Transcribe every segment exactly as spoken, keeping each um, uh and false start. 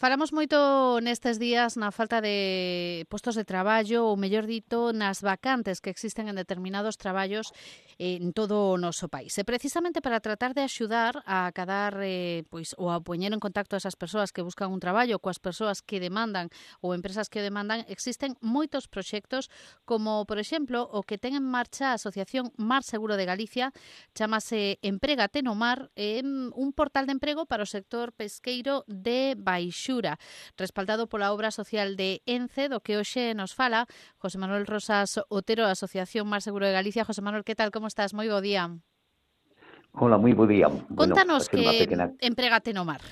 Falamos moito nestes días na falta de postos de traballo, ou mellor dito, nas vacantes que existen en determinados traballos en todo o noso país. E precisamente para tratar de axudar a acadar eh, pois, ou a poñer en contacto a esas persoas que buscan un traballo coas persoas que demandan ou empresas que o demandan, existen moitos proxectos como, por exemplo, o que ten en marcha a Asociación Mar Seguro de Galicia, chamase Emprégate no Mar, é un portal de emprego para o sector pesqueiro de Baixura, respaldado pola obra social de ENCE, do que hoxe nos fala José Manuel Rosas Otero, da Asociación Mar Seguro de Galicia. José Manuel, que tal, como estás? Moi bo día. Hola, moi bo día. Bueno, Contanos facer unha que pequena... Emprégate no Mar.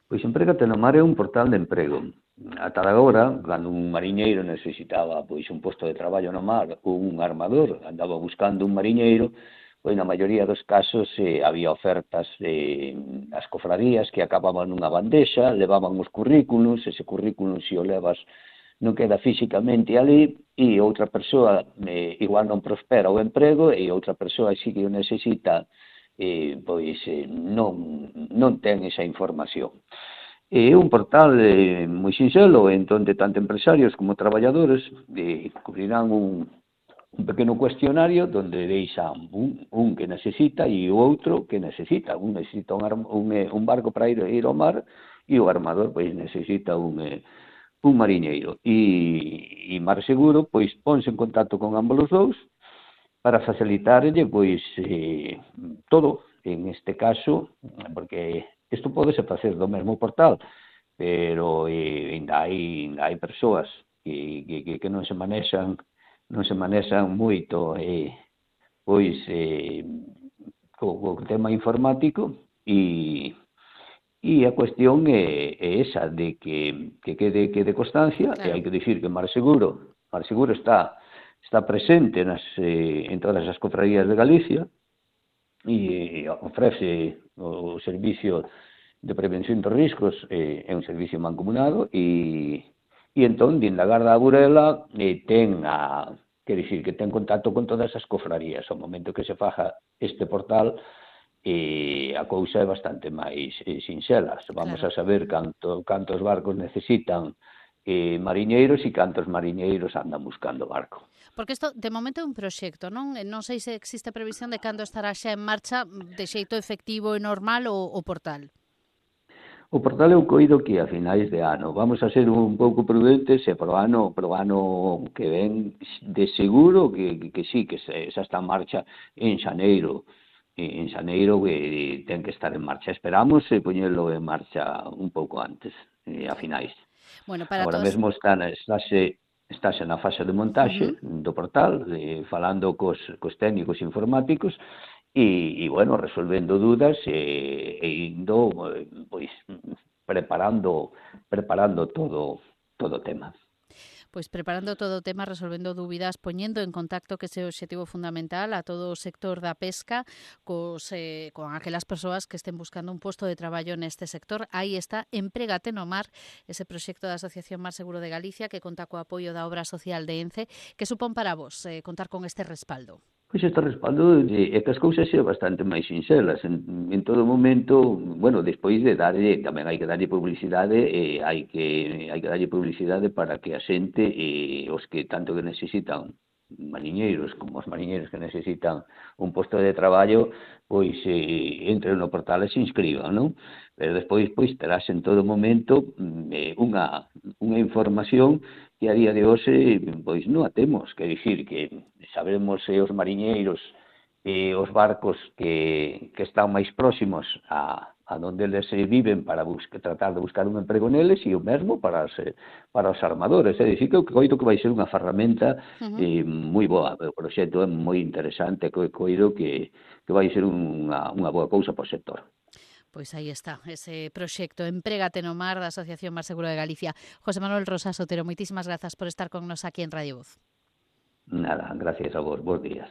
Pois Emprégate no Mar é un portal de emprego. Ata agora, cando un mariñeiro necesitaba pois un posto de traballo no mar ou un armador andaba buscando un mariñeiro, pois na maioría dos casos eh, había ofertas de as cofradías que acababan nunha bandexa, levaban os currículos, ese currículum se o levas non queda físicamente ali, e outra persoa eh, igual non prospera o emprego, e outra persoa si que o necesita, eh, pois eh, non, non ten esa información. É un portal eh, moi sinxelo, entón de tanto empresarios como traballadores eh, cubrirán un, un pequeno cuestionario donde deixan un, un que necesita e o outro que necesita. Un necesita un, un, un barco para ir, ir ao mar, e o armador pois necesita un... Eh, un mariñeiro, e, e Mar Seguro pois ponse en contacto con ambos os dous para facilitarlle pois eh, todo, en este caso, porque isto podese facer do mesmo portal, pero eh, ainda hai, ainda hai persoas que, que, que non se manexan non se manexan moito eh, pois eh, co, co tema informático, e E a cuestión é, é esa, de que, que quede, quede constancia, e hai Claro. que dicir que Mar Seguro, Mar Seguro está, está presente nas, eh, en todas as cofradías de Galicia, e ofrece o servicio de prevención dos riscos, eh, é un servicio mancomunado, e, e entón, din da Garda da Burela, eh, ten a, que dicir, que ten contacto con todas as cofradías. Ao momento que se faja este portal, e a cousa é bastante máis eh, sinxela. Vamos Claro. a saber canto, cantos barcos necesitan eh, mariñeiros e cantos mariñeiros andan buscando barco. Porque isto, de momento, é un proxecto, non? Non sei se existe previsión de cando estará xa en marcha de xeito efectivo e normal o, o portal. O portal eu coido que a finais de ano. Vamos a ser un pouco prudentes e pro ano, pro ano que ven de seguro que, que, que sí, que se, xa está en marcha en xaneiro. En xaneiro que ten que estar en marcha. Esperamos eh, poñelo en marcha un pouco antes, eh, a finais. Bueno, para Agora todos... mesmo está na, estáse, estáse na fase de montaxe Uh-huh. do portal, eh, falando cos, cos técnicos informáticos, e, e bueno, resolvendo dúdas e, e indo, eh, pois, preparando, preparando todo, todo o tema. Pois preparando todo o tema, resolvendo dúbidas, poñendo en contacto, que ese é o obxectivo fundamental, a todo o sector da pesca cos, eh, con aquelas persoas que estén buscando un posto de traballo neste sector. Aí está Emprégate no Mar, ese proxecto da Asociación Mar Seguro de Galicia, que conta co apoio da obra social de ENCE. Que supón para vos eh, contar con este respaldo? Pois este respaldo é que as cousas sean bastante máis sinxelas. En, en todo momento, bueno, despois de darlle, tamén hai que darlle publicidade, e hai que hai que darlle publicidade para que a xente, e os que tanto que necesitan mariñeiros como os mariñeiros que necesitan un posto de traballo, pois eh, entren no portal e se inscriban, non? Pero despois pois terás en todo momento eh, unha, unha información que a día de hoxe pois non a temos, que dicir que sabemos eh, os mariñeiros e eh, os barcos que, que están máis próximos a, a donde eles eh, viven para buscar, tratar de buscar un emprego neles, e o mesmo para os, eh, para os armadores. É dicir, que eu coido que vai ser unha ferramenta Uh-huh. eh, moi boa. O proxecto é moi interesante, que coido que, que vai ser unha, unha boa cousa para o sector. Pois aí está, ese proxecto Emprégate no Mar da Asociación Mar Seguro de Galicia. José Manuel Rosas Otero, moitísimas grazas por estar con nos aquí en Radio Voz. Nada, gracias a vos, bons días.